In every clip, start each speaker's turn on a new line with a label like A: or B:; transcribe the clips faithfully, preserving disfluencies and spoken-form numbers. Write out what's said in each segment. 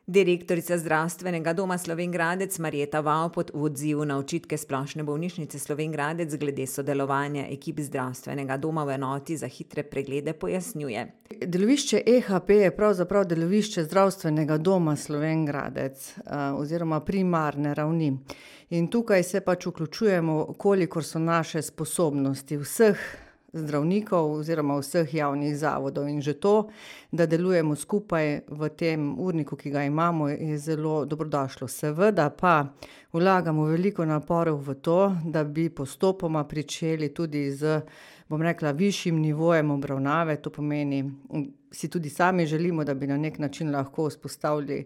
A: Direktorica Zdravstvenega doma Slovenj Gradec Marjeta Vavpot v odzivu na očitke Splošne bolnišnice Slovenj Gradec glede sodelovanja ekip zdravstvenega doma v enoti za hitre preglede pojasnjuje.
B: Delovišče E H P je pravzaprav delovišče Zdravstvenega doma Slovenj Gradec oziroma primarne ravni. In tukaj se pač vključujemo, kolikor so naše sposobnosti vseh zdravnikov oziroma vseh javnih zavodov. In že to, da delujemo skupaj v tem urniku, ki ga imamo, je zelo dobrodošlo. Seveda pa vlagamo veliko naporov v to, da bi postopoma pričeli tudi z, bom rekla, višjim nivojem obravnave. To pomeni, si tudi sami želimo, da bi na nek način lahko vzpostavili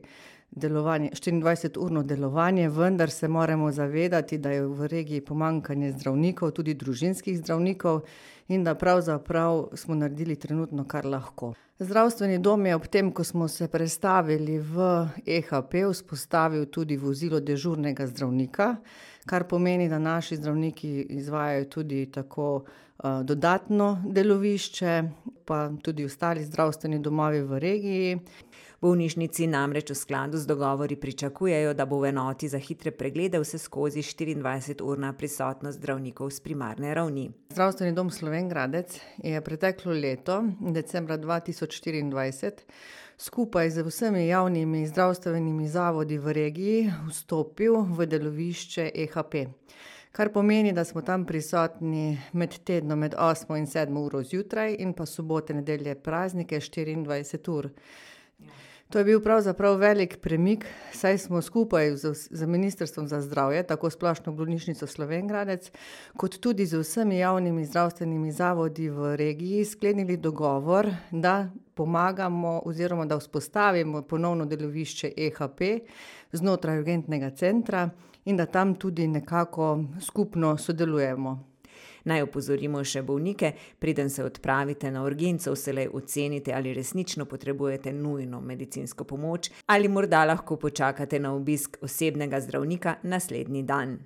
B: delovanje, štiriindvajseturno delovanje, vendar se moramo zavedati, da je v regiji pomanjkanje zdravnikov, tudi družinskih zdravnikov, in da pravzaprav smo naredili trenutno, kar lahko. Zdravstveni dom je ob tem, ko smo se prestavili v E H P, vzpostavil tudi vozilo dežurnega zdravnika, kar pomeni, da naši zdravniki izvajajo tudi tako uh, dodatno delovišče, pa tudi ostali zdravstveni domovi v regiji.
A: V bolnišnici namreč v skladu z dogovori pričakujejo, da bo v enoti za hitre preglede vseskozi štiriindvajseturna prisotnost zdravnikov s primarne ravni.
B: Zdravstveni dom Slovenj Gradec je preteklo leto, decembra dva tisoč štiriindvajset, skupaj z vsemi javnimi zdravstvenimi zavodi v regiji vstopil v delovišče E H P. Kar pomeni, da smo tam prisotni med tednom med osmo in sedmo uro zjutraj in pa sobote, nedelje, praznike štiriindvajset ur. To je bil pravzaprav velik premik, saj smo skupaj z, z Ministrstvom za zdravje, tako Splošno bolnišnico Slovenj Gradec, kot tudi z vsemi javnimi zdravstvenimi zavodi v regiji sklenili dogovor, da pomagamo oziroma da vzpostavimo ponovno delovišče E H P znotraj urgentnega centra in da tam tudi nekako skupno sodelujemo.
A: Naj opozorimo še bolnike, preden se odpravite na urgenco, vselej ocenite, ali resnično potrebujete nujno medicinsko pomoč ali morda lahko počakate na obisk osebnega zdravnika naslednji dan.